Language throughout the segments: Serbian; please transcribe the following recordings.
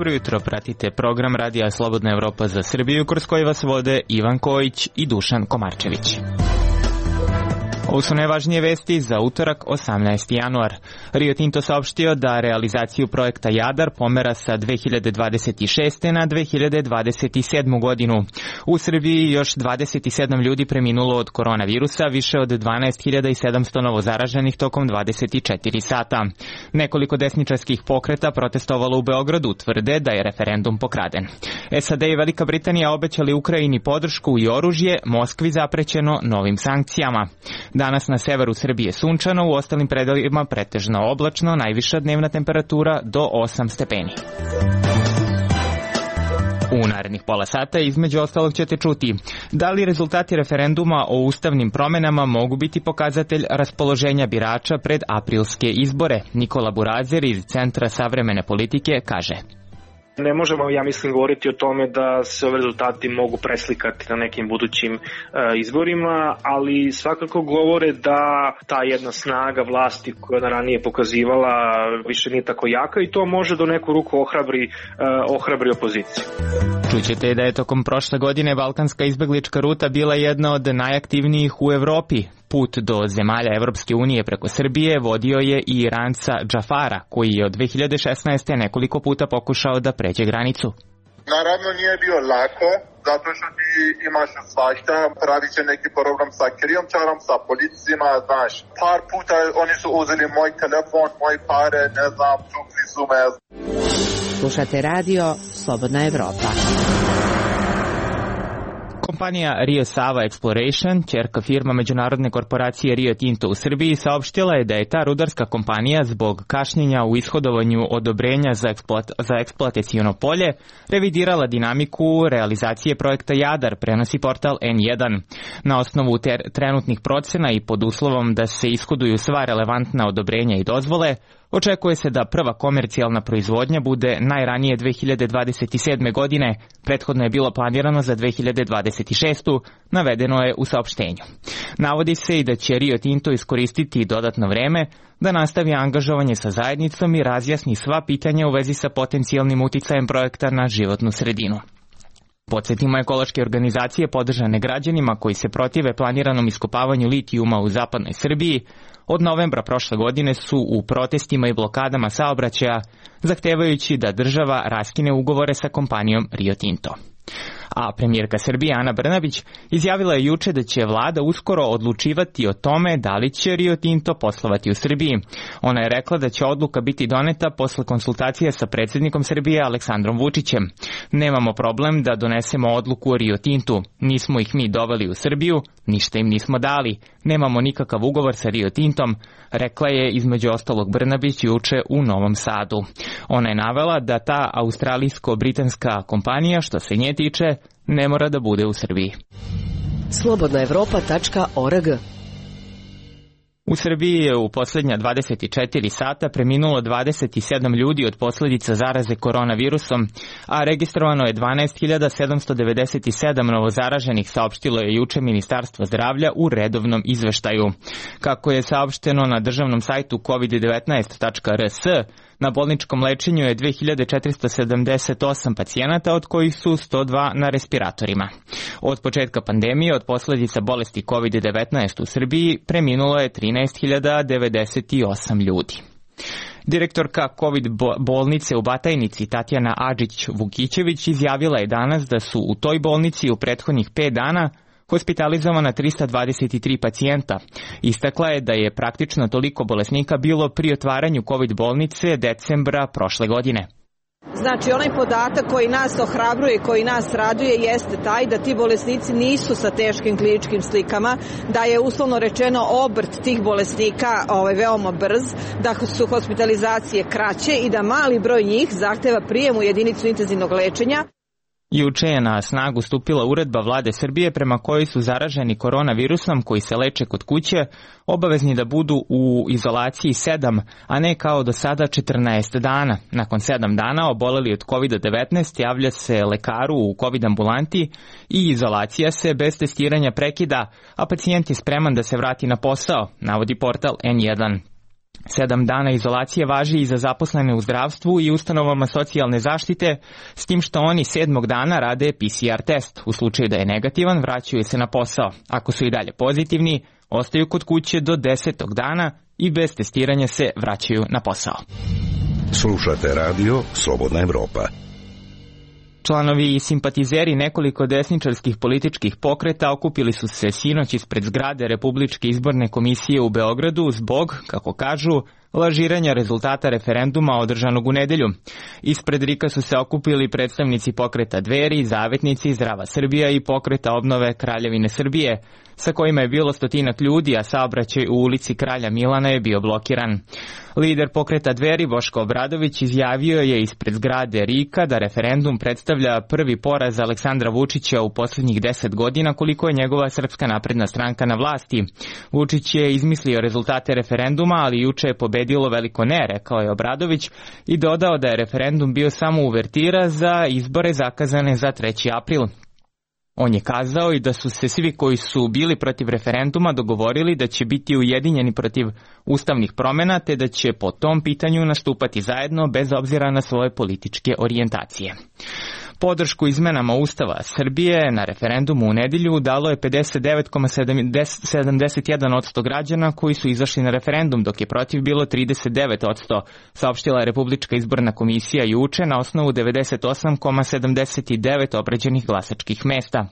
Dobro jutro, pratite program Radija Slobodna Evropa za Srbiju, kroz koji vas vode Ivan Kojić i Dušan Komarčević. Ovo su najvažnije vesti za utorak 18. januar. Rio Tinto saopštio da realizaciju projekta Jadar pomera sa 2026. na 2027. godinu. U Srbiji još 27 ljudi preminulo od koronavirusa, više od 12.700 novozaraženih tokom 24 sata. Nekoliko desničarskih pokreta protestovalo u Beogradu, tvrde da je referendum pokraden. SAD i Velika Britanija obećali Ukrajini podršku i oružje, Moskvi zaprećeno novim sankcijama. Danas na severu Srbije sunčano, u ostalim predelima pretežno oblačno, najviša dnevna temperatura do 8 stepeni. U narednih pola sata između ostalog ćete čuti da li rezultati referenduma o ustavnim promenama mogu biti pokazatelj raspoloženja birača pred aprilske izbore. Nikola Burazer iz Centra savremene politike kaže: Ne možemo, ja mislim, govoriti o tome da se ove rezultati mogu preslikati na nekim budućim izborima, ali svakako govore da ta jedna snaga vlasti koja je ranije pokazivala više nije tako jaka i to može do neku ruku ohrabri opoziciju. Čućete da je tokom prošle godine balkanska izbeglička ruta bila jedna od najaktivnijih u Evropi. Put do zemalja Evropske unije preko Srbije vodio je i Iranca Džafara, koji je od 2016. nekoliko puta pokušao da pređe granicu. Naravno nije bio lako, zato što ti imaš svašta, pravi će neki program sa krijumčarom, sa policijima, znaš. Par puta oni su uzeli moj telefon, moje pare, ne znam, tukli su me. Slušate radio Slobodna Evropa. Kompanija Rio Sava Exploration, ćerka firma međunarodne korporacije Rio Tinto u Srbiji, saopštila je da je ta rudarska kompanija zbog kašnjenja u ishodovanju odobrenja za eksploataciono polje revidirala dinamiku realizacije projekta Jadar, prenosi portal N1. Na osnovu trenutnih procena i pod uslovom da se ishoduju sva relevantna odobrenja i dozvole, očekuje se da prva komercijalna proizvodnja bude najranije 2027. godine, prethodno je bilo planirano za 2026. navedeno je u saopštenju. Navodi se i da će Rio Tinto iskoristiti dodatno vreme da nastavi angažovanje sa zajednicom i razjasni sva pitanja u vezi sa potencijalnim uticajem projekta na životnu sredinu. Podsjetimo, ekološke organizacije podržane građanima koji se protive planiranom iskopavanju litijuma u zapadnoj Srbiji od novembra prošle godine su u protestima i blokadama saobraćaja zahtevajući da država raskine ugovore sa kompanijom Rio Tinto. A premijerka Srbije Ana Brnabić izjavila je juče da će vlada uskoro odlučivati o tome da li će Rio Tinto poslovati u Srbiji. Ona je rekla da će odluka biti doneta posle konsultacija sa predsjednikom Srbije Aleksandrom Vučićem. Nemamo problem da donesemo odluku o Rio Tintu. Nismo ih mi doveli u Srbiju, ništa im nismo dali. Nemamo nikakav ugovor sa Rio Tintom, rekla je između ostalog Brnabić juče u Novom Sadu. Ona je navela da ta australijsko-britanska kompanija, što se nje tiče, ne mora da bude u Srbiji. slobodnaevropa.org. U Srbiji je u posljednja 24 sata preminulo 27 ljudi od posljedica zaraze koronavirusom, a registrovano je 12.797 novozaraženih, saopštilo je juče Ministarstvo zdravlja u redovnom izveštaju. Kako je saopšteno na državnom sajtu covid19.rs, na bolničkom lečenju je 2478 pacijenata, od kojih su 102 na respiratorima. Od početka pandemije, od posljedica bolesti COVID-19 u Srbiji, preminulo je 13.098 ljudi. Direktorka COVID bolnice u Batajnici Tatjana Adžić-Vukićević izjavila je danas da su u toj bolnici u prethodnih 5 dana hospitalizovana 323 pacijenta. Istakla je da je praktično toliko bolesnika bilo pri otvaranju COVID bolnice decembra prošle godine. Znači, onaj podatak koji nas ohrabruje i koji nas raduje jeste taj da ti bolesnici nisu sa teškim kliničkim slikama, da je uslovno rečeno obrt tih bolesnika veoma brz, da su hospitalizacije kraće i da mali broj njih zahteva prijem u jedinicu intenzivnog lečenja. Juče je na snagu stupila uredba vlade Srbije prema kojoj su zaraženi koronavirusom koji se leče kod kuće obavezni da budu u izolaciji 7, a ne kao do sada 14 dana. Nakon 7 dana oboleli od COVID-19 javlja se lekaru u COVID ambulanti i izolacija se bez testiranja prekida, a pacijent je spreman da se vrati na posao, navodi portal N1. 7 dana izolacije važi i za zaposlene u zdravstvu i ustanovama socijalne zaštite, s tim što oni 7. dana rade PCR test. U slučaju da je negativan, vraćaju se na posao. Ako su i dalje pozitivni, ostaju kod kuće do 10. dana i bez testiranja se vraćaju na posao. Slušate radio Slobodna Evropa. Članovi i simpatizeri nekoliko desničarskih političkih pokreta okupili su se sinoć ispred zgrade Republičke izborne komisije u Beogradu zbog, kako kažu, lažiranja rezultata referenduma održanog u nedelju. Ispred RIK-a su se okupili predstavnici pokreta Dveri, Zavetnici, Zdrava Srbija i pokreta Obnove Kraljevine Srbije, sa kojima je bilo 100 ljudi, a saobraćaj u ulici Kralja Milana je bio blokiran. Lider pokreta Dveri Boško Obradović izjavio je ispred zgrade RIK-a da referendum predstavlja prvi poraz Aleksandra Vučića u posljednjih 10 godina koliko je njegova Srpska napredna stranka na vlasti. Vučić je izmislio rezultate referenduma, ali juče je pobedilo veliko ne, rekao je Obradović i dodao da je referendum bio samo uvertira za izbore zakazane za 3. april. On je kazao i da su se svi koji su bili protiv referenduma dogovorili da će biti ujedinjeni protiv ustavnih promjena te da će po tom pitanju nastupati zajedno bez obzira na svoje političke orijentacije. Podršku izmenama Ustava Srbije na referendumu u nedelju dalo je 59,71% građana koji su izašli na referendum, dok je protiv bilo 39%, saopštila je Republička izborna komisija juče na osnovu 98,79 obrađenih glasačkih mesta.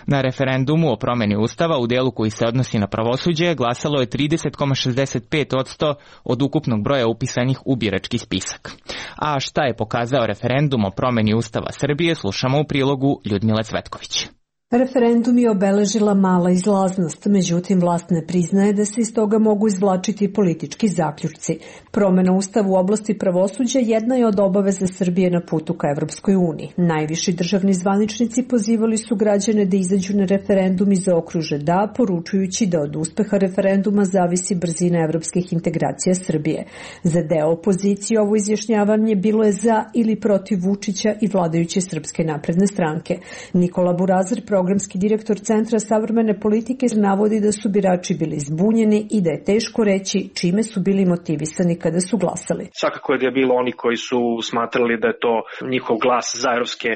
Na referendumu o promjeni Ustava u delu koji se odnosi na pravosuđe glasalo je 30,65% od ukupnog broja upisanih u birački spisak. A šta je pokazao referendum o promjeni Ustava Srbije, slušamo u prilogu Ljudmile Cvetković. Referendum je obeležila mala izlaznost, međutim vlast ne priznaje da se iz toga mogu izvlačiti politički zaključci. Promjena Ustava u oblasti pravosuđa jedna je od obaveza Srbije na putu ka Evropskoj uniji. Najviši državni zvaničnici pozivali su građane da izađu na referendum i zaokruže da, poručujući da od uspeha referenduma zavisi brzina evropskih integracija Srbije. Za deo opozicije ovo izjašnjavanje bilo je za ili protiv Vučića i vladajuće Srpske napredne stranke. Nikola Burazir, programski direktor Centra savremene politike, navodi da su birači bili zbunjeni i da je teško reći čime su bili motivisani kada su glasali. Svakako je da je bilo oni koji su smatrali da je to njihov glas za evropske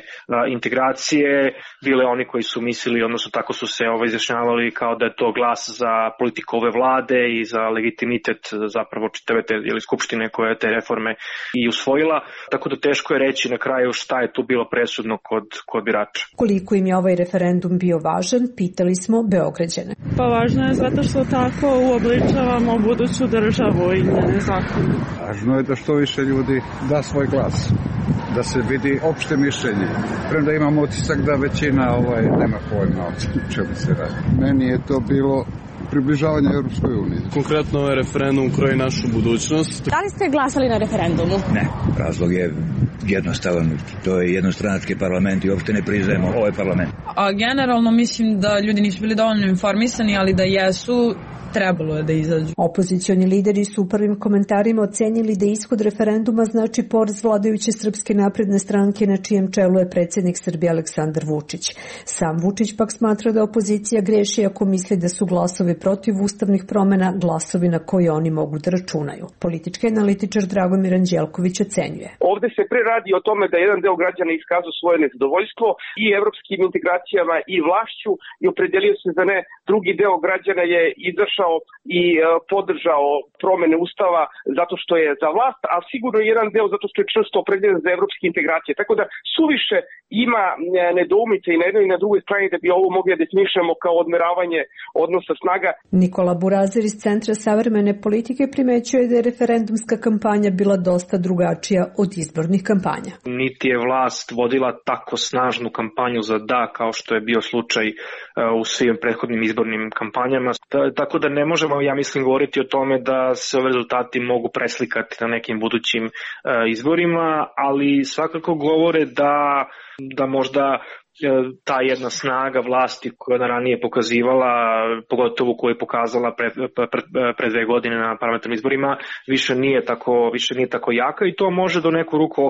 integracije, bile oni koji su mislili, odnosno tako su se izjašnjavali kao da je to glas za politiku ove vlade i za legitimitet zapravo čitave te skupštine koja je te reforme i usvojila, tako da teško je reći na kraju šta je tu bilo presudno kod birača. Koliko im je ovaj referendum bio važan, pitali smo Beograđane. Pa važno je zato što tako uobličavamo buduću državu i njene zakone. Važno je da što više ljudi da svoj glas, da se vidi opšte mišljenje. Premda imam utisak da većina nema pojma o čemu se radi. Meni je to bilo približavanje Europskoj uniji. Konkretno ovaj referendum kroji našu budućnost. Da li ste glasali na referendumu? Ne, razlog je jednostavan. To je jednostranački parlament i uopšte ne priznajemo ovaj parlament. Generalno mislim da ljudi nisu bili dovoljno informisani, ali da jesu, trebalo je da izađu. Opozicioni lideri su u prvim komentarima ocenili da ishod referenduma znači poraz vladajuće Srpske napredne stranke na čijem čelu je predsjednik Srbije Aleksandar Vučić. Sam Vučić pak smatra da opozicija greši ako misli da su glasovi protiv ustavnih promjena glasovi na koje oni mogu da računaju. Politički analitičar Dragomir Anđelković ocenjuje. Ovdje se pre radi o tome da jedan deo građana iskazao svoje nezadovoljstvo i evropskim integracijama i vlašću i opredelio se za ne. Drugi deo građana je izašao i podržao promjene Ustava zato što je za vlast, a sigurno jedan deo zato što je čvrsto opredeljen za evropske integracije. Tako da suviše ima nedoumice i na jednoj i na drugoj strani da bi ovo mogli da definišemo kao odmeravanje odnosa snaga. Nikola Burazir iz Centra savremene politike primećuje da je referendumska kampanja bila dosta drugačija od izbornih kampanja. Niti je vlast vodila tako snažnu kampanju za da kao što je bio slučaj u svim prethodnim izbornim kampanjama. Tako da ne možemo, ja mislim, govoriti o tome da se ove rezultati mogu preslikati na nekim budućim izborima, ali svakako govore da možda ta jedna snaga vlasti koja je ranije pokazivala, pogotovo koju je pokazala pre 2 godine na parlamentarnim izborima, više nije tako jaka i to može do neku ruku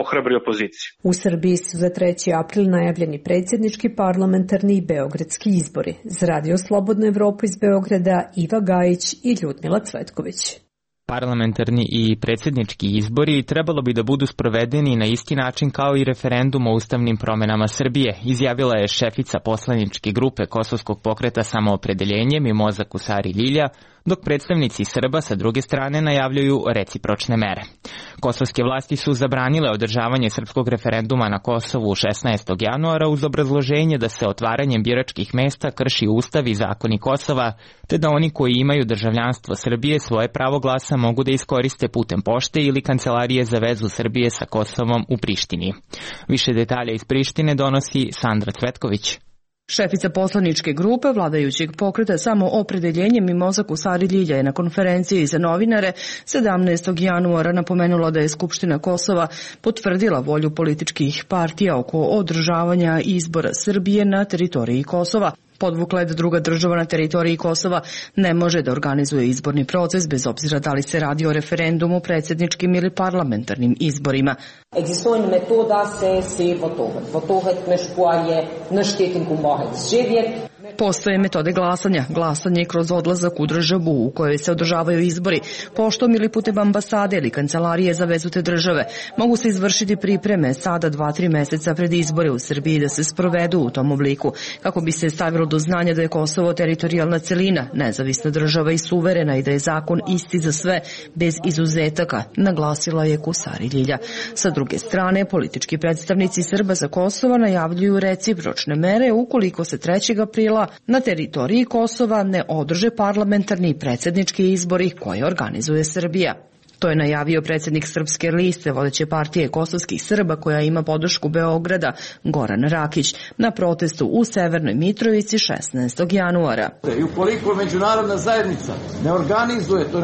ohrabri opoziciju. U Srbiji su za 3. april najavljeni predsjednički, parlamentarni i beogradski izbori. Za Radio Slobodna Evropa iz Beograda Iva Gajić i Ljudmila Cvetković. Parlamentarni i predsjednički izbori trebalo bi da budu sprovedeni na isti način kao i referendum o ustavnim promenama Srbije, izjavila je šefica poslaničke grupe Kosovskog pokreta Samoopredeljenje Mimoza Kusari Ljilja, dok predstavnici Srba sa druge strane najavljuju recipročne mere. Kosovske vlasti su zabranile održavanje srpskog referenduma na Kosovu 16. januara uz obrazloženje da se otvaranjem biračkih mesta krši Ustav i zakoni Kosova, te da oni koji imaju državljanstvo Srbije svoje pravo glasa mogu da iskoriste putem pošte ili Kancelarije za vezu Srbije sa Kosovom u Prištini. Više detalja iz Prištine donosi Sandra Cvetković. Šefica poslaničke grupe vladajućeg pokreta Samoopredeljenje Mimoza Kusari Ljilja je na konferenciji za novinare 17. januara napomenula da je Skupština Kosova potvrdila volju političkih partija oko održavanja izbora Srbije na teritoriji Kosova. Podvukla je da druga država na teritoriji Kosova ne može da organizuje izborni proces bez obzira da li se radi o referendumu, predsjedničkim ili parlamentarnim izborima. Existuje metoda se votohet mešpoalje naštetim kumbohet živjet. Postoje metode glasanja. Glasanje kroz odlazak u državu u kojoj se održavaju izbori, poštom ili putem ambasade ili Kancelarije za vezu te države. Mogu se izvršiti pripreme sada 2-3 meseca pred izbore u Srbiji da se sprovedu u tom obliku, kako bi se stavilo do znanja da je Kosovo teritorijalna celina, nezavisna država i suverena i da je zakon isti za sve, bez izuzetaka, naglasila je Kusari Ljilja. Sa druge strane, politički predstavnici Srba za Kosova najavljuju recipročne mere ukoliko se 3. aprila na teritoriji Kosova ne održe parlamentarni i predsjednički izbori koje organizuje Srbija. To je najavio predsjednik Srpske liste, vodeće partije kosovskih Srba koja ima podršku Beograda, Goran Rakić, na protestu u Severnoj Mitrovici 16. januara. I ukoliko međunarodna zajednica ne organizuje, to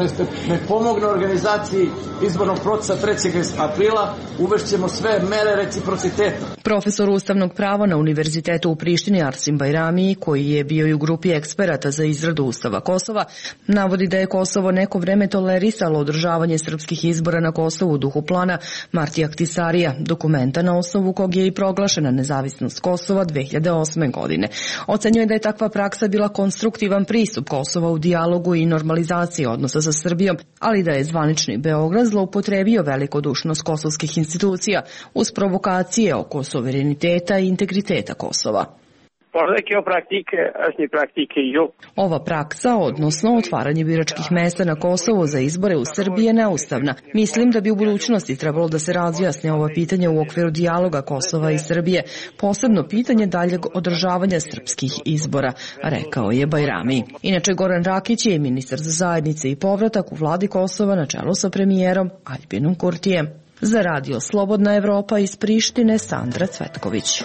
ne pomogne organizaciji izbornog procesa 3. aprila, uvešćemo sve mere reciprociteta. Profesor ustavnog prava na Univerzitetu u Prištini Arsim Bajrami, koji je bio i u grupi eksperata za izradu Ustava Kosova, navodi da je Kosovo neko vreme tolerisalo održavanje srpskih izbora na Kosovu u duhu plana Martija Ahtisarija, dokumenta na osnovu kog je i proglašena nezavisnost Kosova 2008. godine. Ocenjuje da je takva praksa bila konstruktivan pristup Kosova u dijalogu i normalizaciji odnosa sa Srbijom, ali da je zvanični Beograd zloupotrebio velikodušnost kosovskih institucija uz provokacije oko suvereniteta i integriteta Kosova. Ova praksa, odnosno otvaranje biračkih mesta na Kosovu za izbore u Srbiji je neustavna. Mislim da bi u budućnosti trebalo da se razjasne ova pitanja u okviru dijaloga Kosova i Srbije, posebno pitanje daljeg održavanja srpskih izbora, rekao je Bajrami. Inače, Goran Rakić je ministar za zajednice i povratak u vladi Kosova na čelu sa premijerom Aljbinom Kurtijem. Za Radio Slobodna Evropa iz Prištine, Sandra Cvetković.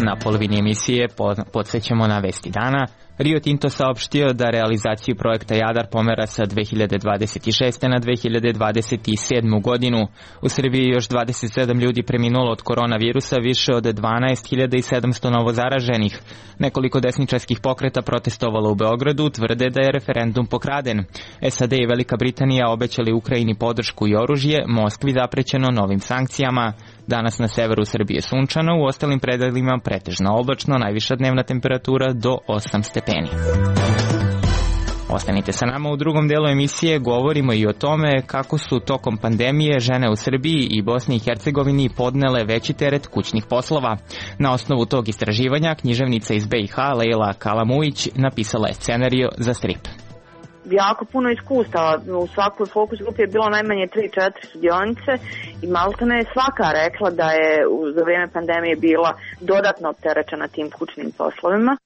Na polovini emisije podsjećamo na vesti dana. Rio Tinto saopštio da realizaciju projekta Jadar pomera sa 2026. na 2027. godinu. U Srbiji je još 27 ljudi preminulo od koronavirusa, više od 12.700 novozaraženih. Nekoliko desničarskih pokreta protestovalo u Beogradu, tvrde da je referendum pokraden. SAD i Velika Britanija obećali Ukrajini podršku i oružje, Moskvi zaprećeno novim sankcijama. Danas na severu Srbije sunčano, u ostalim predelima pretežno oblačno, najviša dnevna temperatura do 8 stepeni. Ostanite sa nama u drugom delu emisije, govorimo i o tome kako su tokom pandemije žene u Srbiji i Bosni i Hercegovini podnele veći teret kućnih poslova. Na osnovu tog istraživanja književnica iz BiH Lejla Kalamuić napisala je scenarijo za strip. Jako puno iskustava. U svakoj fokus grupi je bilo najmanje 3-4 sudionice i maltene je svaka rekla da je za vrijeme pandemije bila dodatno opterećena tim kućnim poslovima.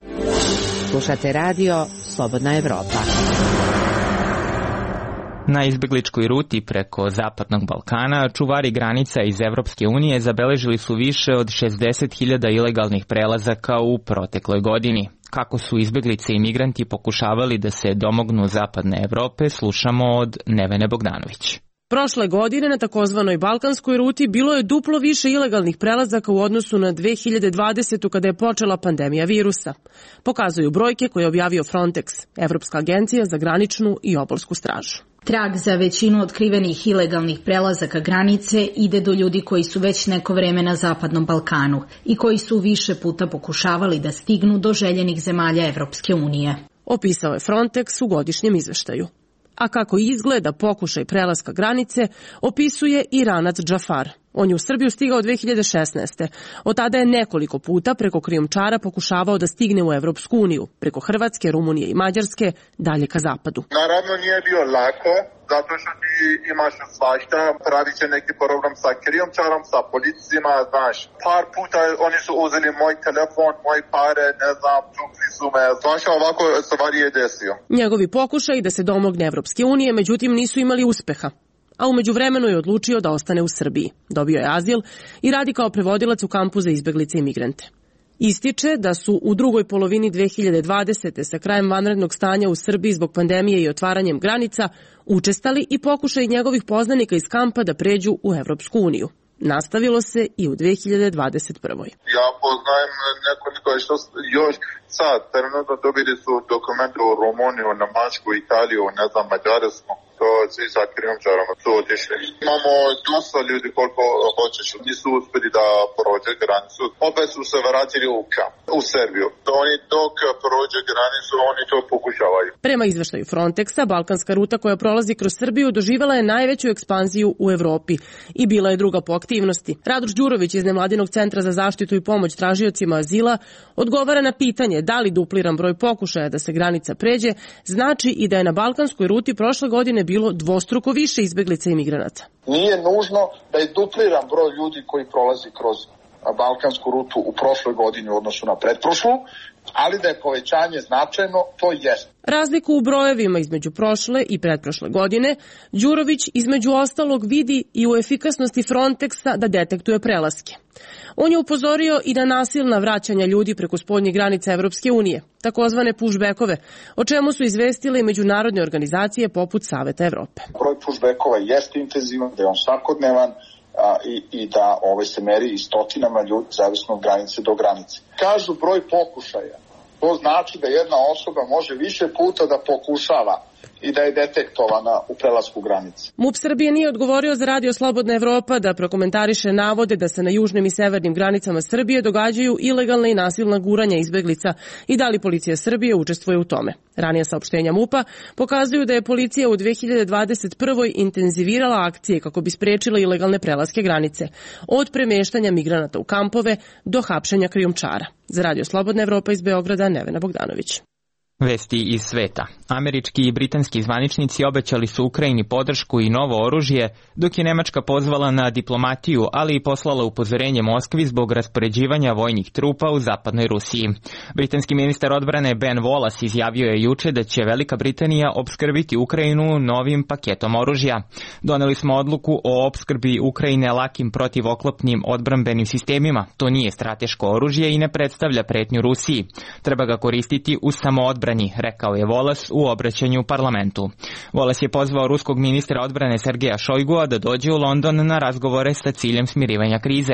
Slušate radio Slobodna Evropa. Na izbegličkoj ruti preko Zapadnog Balkana čuvari granica iz Evropske unije zabeležili su više od 60.000 ilegalnih prelazaka u protekloj godini. Kako su izbeglice i migranti pokušavali da se domognu Zapadne Evrope, slušamo od Nevene Bogdanović. Prošle godine na takozvanoj balkanskoj ruti bilo je duplo više ilegalnih prelazaka u odnosu na 2020. kada je počela pandemija virusa. Pokazuju brojke koje je objavio Frontex, Evropska agencija za graničnu i obalsku stražu. Trag za većinu otkrivenih ilegalnih prelazaka granice ide do ljudi koji su već neko vreme na Zapadnom Balkanu i koji su više puta pokušavali da stignu do željenih zemalja Evropske unije. Opisao je Frontex u godišnjem izveštaju. A kako izgleda pokušaj prelaska granice, opisuje Iranac Džafar. On je u Srbiju stigao 2016. Od tada je nekoliko puta preko krijumčara pokušavao da stigne u Evropsku uniju, preko Hrvatske, Rumunije i Mađarske, dalje ka zapadu. Naravno nije bio lako, zato što ti imaš svašta, pravi će neki problem sa krijumčarom, sa policijima, znaš. Par puta oni su uzeli moj telefon, moje pare, ne znam, tukli su me, svašta ovako stvari je desio. Njegovi pokušaj da se domogne Evropske unije, međutim, nisu imali uspeha. A umeđu vremenu je odlučio da ostane u Srbiji. Dobio je azil i radi kao prevodilac u kampu za izbeglice i migrante. Ističe da su u drugoj polovini 2020. sa krajem vanrednog stanja u Srbiji zbog pandemije i otvaranjem granica učestali i pokušaj njegovih poznanika iz kampa da pređu u Evropsku uniju. Nastavilo se i u 2021. Ja poznajem nekoliko što još sad, trenutno dobili su dokumente u Rumuniju, Nemačku, Italiju, ne znam, Mađarsku. To svi sa krijumčarama su otišli. Imamo dosta ljudi koliko hoćeš, nisu uspjeli da prođe granicu. Opet su se vratili u Srbiju. Oni dok prođe granicu, oni to pokušavaju. Prema izveštaju Frontexa, balkanska ruta koja prolazi kroz Srbiju doživjela je najveću ekspanziju u Evropi i bila je druga po aktivnosti. Radoš Đurović iz Nevladinog centra za zaštitu i pomoć tražiocima azila odgovara na pitanje da li dupliran broj pokušaja da se granica pređe znači i da je na balkanskoj ruti prošle godine bilo dvostruko više izbeglica i migranata. Nije nužno da je dupliran broj ljudi koji prolazi kroz balkansku rutu u prošloj godini u odnosu na pretprošlu, ali da je povećanje značajno, to jest. Razliku u brojevima između prošle i pretprošle godine Đurović između ostalog vidi i u efikasnosti Frontexa da detektuje prelaske. On je upozorio i na nasilna vraćanja ljudi preko spoljnih granica Evropske unije, takozvane pushbackove, o čemu su izvestile i međunarodne organizacije poput Saveta Evrope. Broj pushbackova jeste intenzivan, da je on svakodnevan, i da se meri i stotinama ljudi zavisno od granice do granice. Kažu broj pokušaja. To znači da jedna osoba može više puta da pokušava i da je detektovana u prelasku granice. MUP Srbije nije odgovorio za Radio Slobodna Evropa da prokomentariše navode da se na južnim i severnim granicama Srbije događaju ilegalna i nasilna guranja izbeglica i da li policija Srbije učestvuje u tome. Ranija saopštenja MUP-a pokazuju da je policija u 2021. intenzivirala akcije kako bi sprečila ilegalne prelaske granice, od premeštanja migranata u kampove do hapšenja krijumčara. Za Radio Slobodna Evropa iz Beograda, Nevena Bogdanović. Vesti iz sveta. Američki i britanski zvaničnici obećali su Ukrajini podršku i novo oružje, dok je Nemačka pozvala na diplomatiju, ali i poslala upozorenje Moskvi zbog raspoređivanja vojnih trupa u zapadnoj Rusiji. Britanski ministar odbrane Ben Wallace izjavio je juče da će Velika Britanija opskrbiti Ukrajinu novim paketom oružja. Doneli smo odluku o opskrbi Ukrajine lakim protivoklopnim odbrambenim sistemima. To nije strateško oružje i ne predstavlja pretnju Rusiji. Treba ga koristiti u samoodbrani, rekao je Wallace u obraćanju u parlamentu. Wallace je pozvao ruskog ministra odbrane Sergeja Šojgua da dođe u London na razgovore sa ciljem smirivanja krize.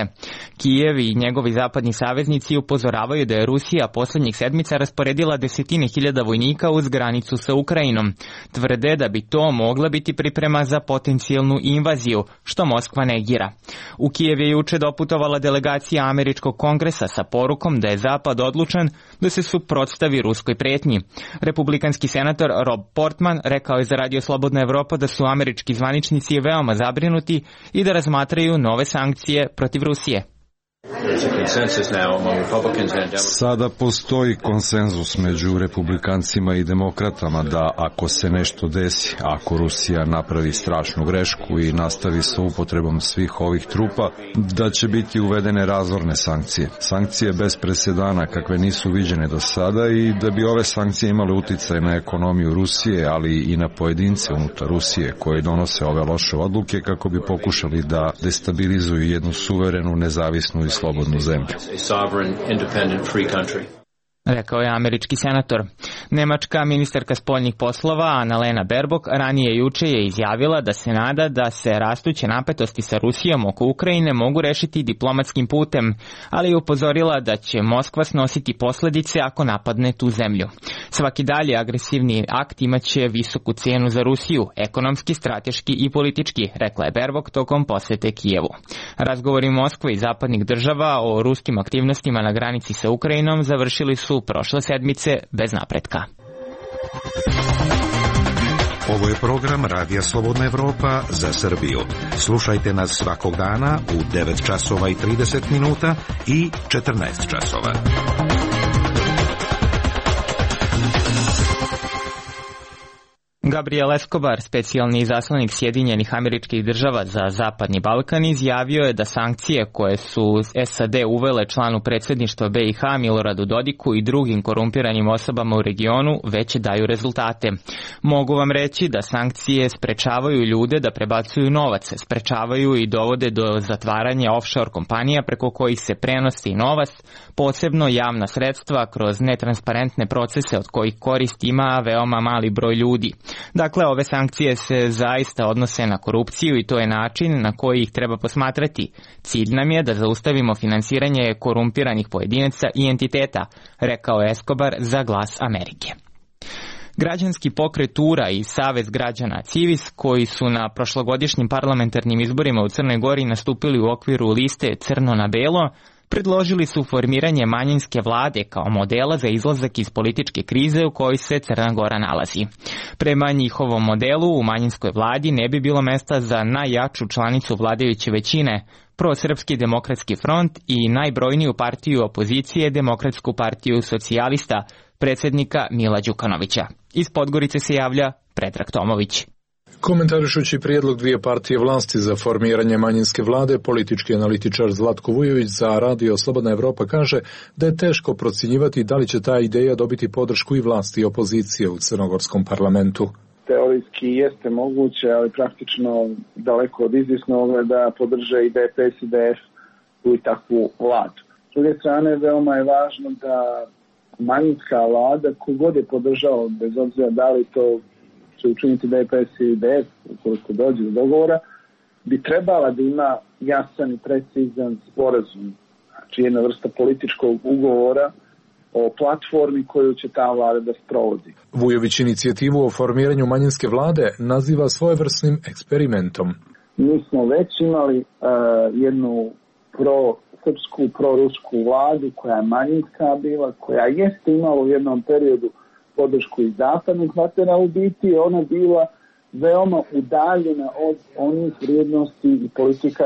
Kijev i njegovi zapadni saveznici upozoravaju da je Rusija poslednjih sedmica rasporedila desetine hiljada vojnika uz granicu sa Ukrajinom. Tvrde da bi to mogla biti priprema za potencijalnu invaziju, što Moskva negira. U Kijev je juče doputovala delegacija Američkog kongresa sa porukom da je Zapad odlučan da se suprotstavi ruskoj pretnji. Republikanski senator Rob Portman rekao je za Radio Slobodna Evropa da su američki zvaničnici veoma zabrinuti i da razmatraju nove sankcije protiv Rusije. Sada postoji konsenzus među republikancima i demokratama da ako se nešto desi, ako Rusija napravi strašnu grešku i nastavi sa upotrebom svih ovih trupa, da će biti uvedene razorne sankcije. Sankcije bez presedana kakve nisu viđene do sada i da bi ove sankcije imale uticaj na ekonomiju Rusije, ali i na pojedince unutar Rusije koji donose ove loše odluke kako bi pokušali da destabilizuju jednu suverenu, nezavisnu i slobodnu zemlju. Rekao je američki senator. Nemačka ministarka spoljnih poslova Annalena Baerbock ranije juče je izjavila da se nada da se rastuće napetosti sa Rusijom oko Ukrajine mogu rešiti diplomatskim putem, ali je upozorila da će Moskva snositi posledice ako napadne tu zemlju. Svaki dalje agresivni akt imaće visoku cenu za Rusiju, ekonomski, strateški i politički, rekla je Baerbock tokom posete Kijevu. Razgovori Moskve i zapadnih država o ruskim aktivnostima na granici sa Ukrajinom završili su prošle sedmice bez napretka. Ovo je program Radija Slobodna Evropa za Srbiju. Slušajte nas svakog dana u 9 časova i 30 minuta i 14 časova. Gabriel Escobar, specijalni izaslanik Sjedinjenih Američkih Država za Zapadni Balkan, izjavio je da sankcije koje su SAD uvele članu predsjedništva BiH Miloradu Dodiku i drugim korumpiranim osobama u regionu već daju rezultate. Mogu vam reći da sankcije sprečavaju ljude da prebacuju novac, sprečavaju i dovode do zatvaranja offshore kompanija preko kojih se prenosi novac, posebno javna sredstva kroz netransparentne procese od kojih korist ima veoma mali broj ljudi. Dakle, ove sankcije se zaista odnose na korupciju i to je način na koji ih treba posmatrati. Cilj nam je da zaustavimo finansiranje korumpiranih pojedinaca i entiteta, rekao je Escobar za Glas Amerike. Građanski pokret URA i Savez građana Civis, koji su na prošlogodišnjim parlamentarnim izborima u Crnoj Gori nastupili u okviru liste Crno na belo, predložili su formiranje manjinske vlade kao modela za izlazak iz političke krize u kojoj se Crna Gora nalazi. Prema njihovom modelu, u manjinskoj vladi ne bi bilo mesta za najjaču članicu vladajuće većine, Prosrpski demokratski front i najbrojniju partiju opozicije, Demokratsku partiju socijalista, predsjednika Mila Đukanovića. Iz Podgorice se javlja Predrag Tomović. Komentarišući prijedlog dvije partije vlasti za formiranje manjinske vlade, politički analitičar Zlatko Vujović za Radio Slobodna Evropa kaže da je teško procjenjivati da li će ta ideja dobiti podršku i vlasti i opozicije u crnogorskom parlamentu. Teorijski jeste moguće, ali praktično daleko od izvjesnog da podrže i DPS i DF u takvu vladu. S druge strane, veoma je važno da manjinska vlada, kogod je podržao, bez obzira da li to će učiniti DPS i DF, ukoliko dođe do dogovora, bi trebala da ima jasan i precizan sporazum, znači jedna vrsta političkog ugovora o platformi koju će ta vlada da sprovodi. Vujović inicijativu o formiranju manjinske vlade naziva svojevrsnim eksperimentom. Mi smo već imali jednu pro-srpsku, pro-rusku vladu koja je manjinska bila, koja jeste imala u jednom periodu podršku iz zapadnih partnera, u biti ona bila veoma udaljena od onih vrijednosti i politika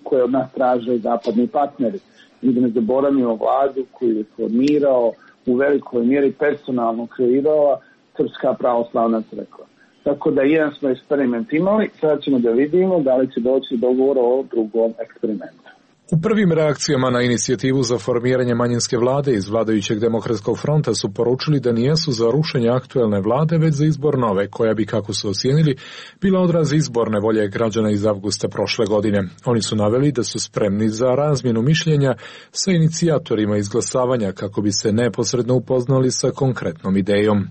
koje od nas traže zapadni partneri. I da ne zaboravimo vladu koju je formirao, u velikoj mjeri personalno kreirala Srpska pravoslavna crkva. Tako da jedan smo eksperiment imali, sada ćemo da vidimo da li će doći do dogovora o drugom eksperimentu. U prvim reakcijama na inicijativu za formiranje manjinske vlade iz vladajućeg Demokratskog fronta su poručili da nijesu za rušenje aktuelne vlade, već za izbor nove, koja bi, kako su ocijenili, bila odraz izborne volje građana iz avgusta prošle godine. Oni su naveli da su spremni za razmjenu mišljenja sa inicijatorima izglasavanja kako bi se neposredno upoznali sa konkretnom idejom.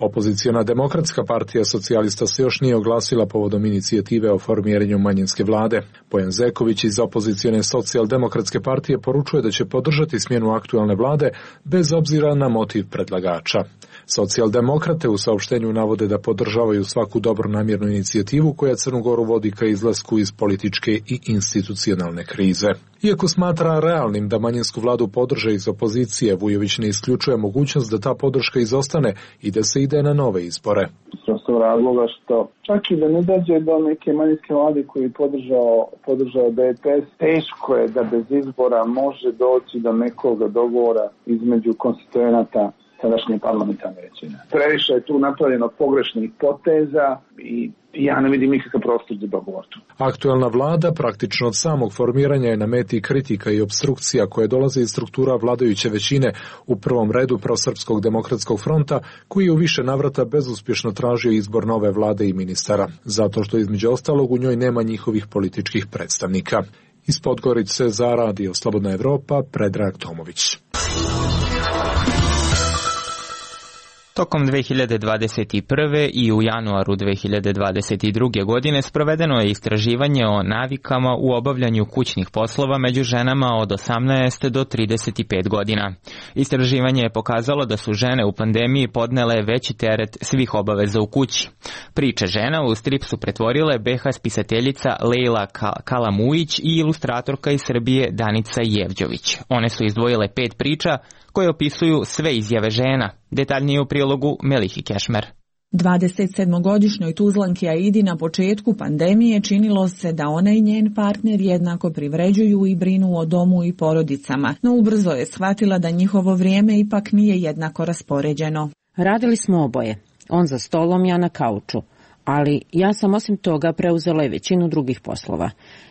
Opoziciona Demokratska partija socijalista se još nije oglasila povodom inicijative o formiranju manjinske vlade. Bojan Zeković iz opozicione Socijaldemokratske partije poručuje da će podržati smjenu aktualne vlade bez obzira na motiv predlagača. Socijaldemokrate u saopštenju navode da podržavaju svaku dobronamjernu inicijativu koja Crnu Goru vodi ka izlasku iz političke i institucionalne krize. Iako smatra realnim da manjinsku vladu podrže iz opozicije, Vujović ne isključuje mogućnost da ta podrška izostane i da se ide na nove izbore. Prosto razloga što čak i da ne dođe do neke manjinske vlade koji je podržao DPS, teško je da bez izbora može doći do nekog dogovora između konstituenata sadašnje parlamentarne većine. Previše je tu napravljeno pogrešnih poteza i ja ne vidim nikakav prostor za dogovor tu. Aktuelna vlada praktično od samog formiranja je na meti kritika i obstrukcija koje dolaze iz struktura vladajuće većine, u prvom redu Prosrpskog demokratskog fronta, koji je u više navrata bezuspješno tražio izbor nove vlade i ministara, zato što između ostalog u njoj nema njihovih političkih predstavnika. Iz Podgorice za Radio Slobodna Evropa, Predrag Tomović. Tokom 2021. i u januaru 2022. godine sprovedeno je istraživanje o navikama u obavljanju kućnih poslova među ženama od 18 do 35 godina. Istraživanje je pokazalo da su žene u pandemiji podnele veći teret svih obaveza u kući. Priče žena u strip su pretvorile BH spisateljica Lejla Kalamujić i ilustratorka iz Srbije Danica Jevđović. One su izdvojile 5 priča koje opisuju sve izjave žena. Detaljnije u prilogu Melihi Kešmer. 27-godišnjoj Tuzlanki Aidi na početku pandemije činilo se da ona i njen partner jednako privređuju i brinu o domu i porodicama, no ubrzo je shvatila da njihovo vrijeme ipak nije jednako raspoređeno. Radili smo oboje, on za stolom, ja na kauču, ali ja sam osim toga preuzela i većinu drugih poslova.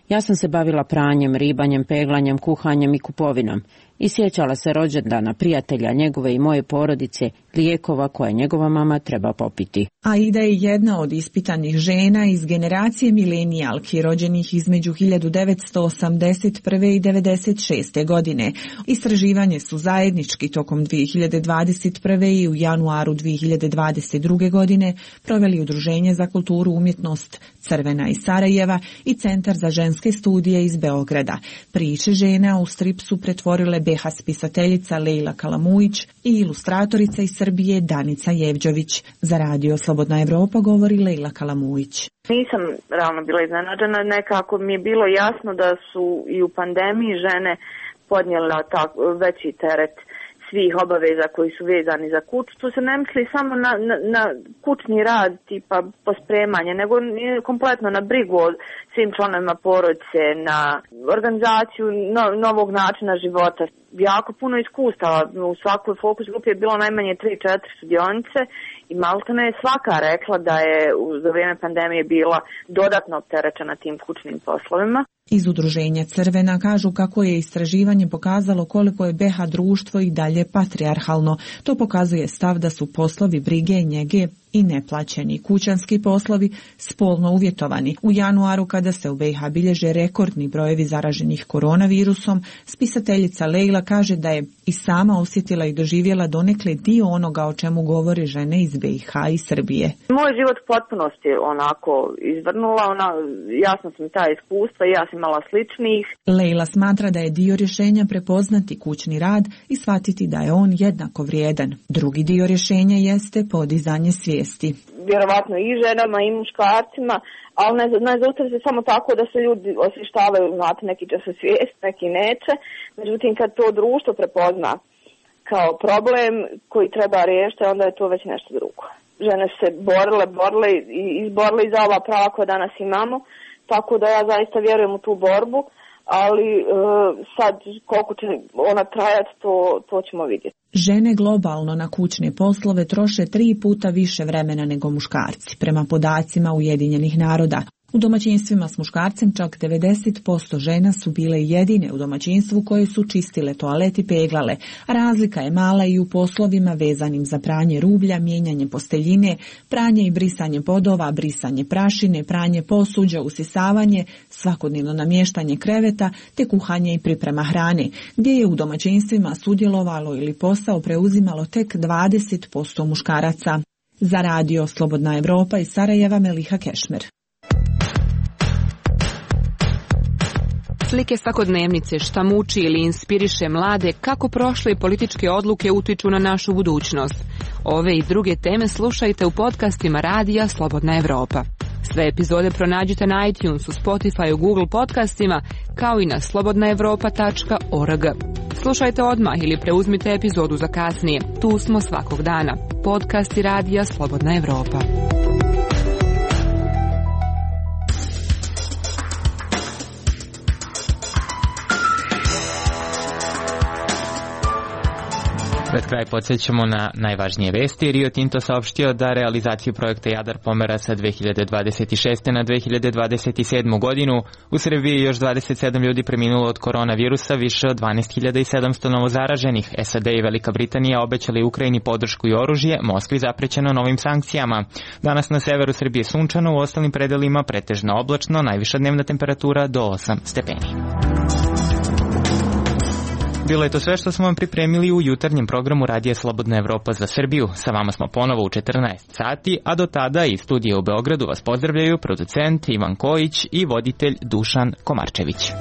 Ja sam se bavila pranjem, ribanjem, peglanjem, kuhanjem i kupovinom i sjećala se rođendana prijatelja njegove i moje porodice, lijekova koje njegova mama treba popiti. Aida je jedna od ispitanih žena iz generacije milenijalki rođenih između 1981. i 1996. godine. Istraživanje su zajednički tokom 2021. i u januaru 2022. godine proveli Udruženje za kulturu umjetnost Crvena iz Sarajeva i Centar za ženske studije iz Beograda. Priče žena u strip su pretvorile BH spisateljica Lejla Kalamujić i ilustratorica iz Srbije Danica Jevđović. Za radio Slobodna Evropa govori Lejla Kalamujić. Nisam realno bila iznenađena, nekako mi je bilo jasno da su i u pandemiji žene podnijela veći teret svih obaveza koji su vezani za kuću. Tu se ne misli samo na kućni rad, tipa pospremanje, nego kompletno na brigu o svim članovima porodice, na organizaciju novog načina života. Jako puno iskustava. U svakoj fokus grupi je bilo najmanje 3-4 sudionice i maltene je svaka rekla da je za vrijeme pandemije bila dodatno opterećena tim kućnim poslovima. Iz Udruženja Crvena kažu kako je istraživanje pokazalo koliko je BH društvo i dalje patrijarhalno. To pokazuje stav da su poslovi brige, njege i neplaćeni kućanski poslovi spolno uvjetovani. U januaru, kada se u BiH bilježe rekordni brojevi zaraženih koronavirusom, spisateljica Lejla kaže da je i sama osjetila i doživjela donekle dio onoga o čemu govore žene iz BiH i Srbije. Moj život u potpunosti onako izvrnula, jasno sam ta iskustva i ja sam imala sličnih. Lejla smatra da je dio rješenja prepoznati kućni rad i shvatiti da je on jednako vrijedan. Drugi dio rješenja jeste podizanje svijesti. Vjerovatno i ženama i muškarcima, ali ne zaustavi se samo tako da se ljudi osvještavaju, znate, neki će se svijest, neki neće. Međutim, kad to društvo prepozna kao problem koji treba riješiti, onda je to već nešto drugo. Žene su se borile i izborile za ova prava koja danas imamo, tako da ja zaista vjerujem u tu borbu, ali sad koliko će ona trajati, to ćemo vidjeti. Žene globalno na kućne poslove troše 3 puta više vremena nego muškarci, prema podacima Ujedinjenih naroda. U domaćinstvima s muškarcem čak 90% žena su bile jedine u domaćinstvu koje su čistile toalet i peglale, a razlika je mala i u poslovima vezanim za pranje rublja, mijenjanje posteljine, pranje i brisanje podova, brisanje prašine, pranje posuđa, usisavanje, svakodnevno namještanje kreveta te kuhanje i priprema hrane, gdje je u domaćinstvima sudjelovalo ili posao preuzimalo tek 20% muškaraca. Za radio Slobodna Evropa iz Sarajeva Meliha Kešmer. Slike svakodnevnice, šta muči ili inspiriše mlade, kako prošle političke odluke utiču na našu budućnost. Ove i druge teme slušajte u podcastima radija Slobodna Evropa. Sve epizode pronađite na iTunesu, Spotifyu, Google podcastima, kao i na slobodnaevropa.org. Slušajte odmah ili preuzmite epizodu za kasnije. Tu smo svakog dana. Podcasti radija Slobodna Evropa. Pred kraj podsjećamo na najvažnije vesti. Rio Tinto saopštio da realizaciju projekta Jadar pomera sa 2026. na 2027. godinu. U Srbiji je još 27 ljudi preminulo od koronavirusa, više od 12.700 novozaraženih. SAD i Velika Britanija obećali Ukrajini podršku i oružje, Moskvi zaprećeno novim sankcijama. Danas na severu Srbije sunčano, u ostalim predelima pretežno oblačno, najviša dnevna temperatura do 8 stepeni. Bilo je to sve što smo vam pripremili u jutarnjem programu Radija Slobodna Evropa za Srbiju. Sa vama smo ponovo u 14 sati, a do tada iz studija u Beogradu vas pozdravljaju producent Ivan Kojić i voditelj Dušan Komarčević.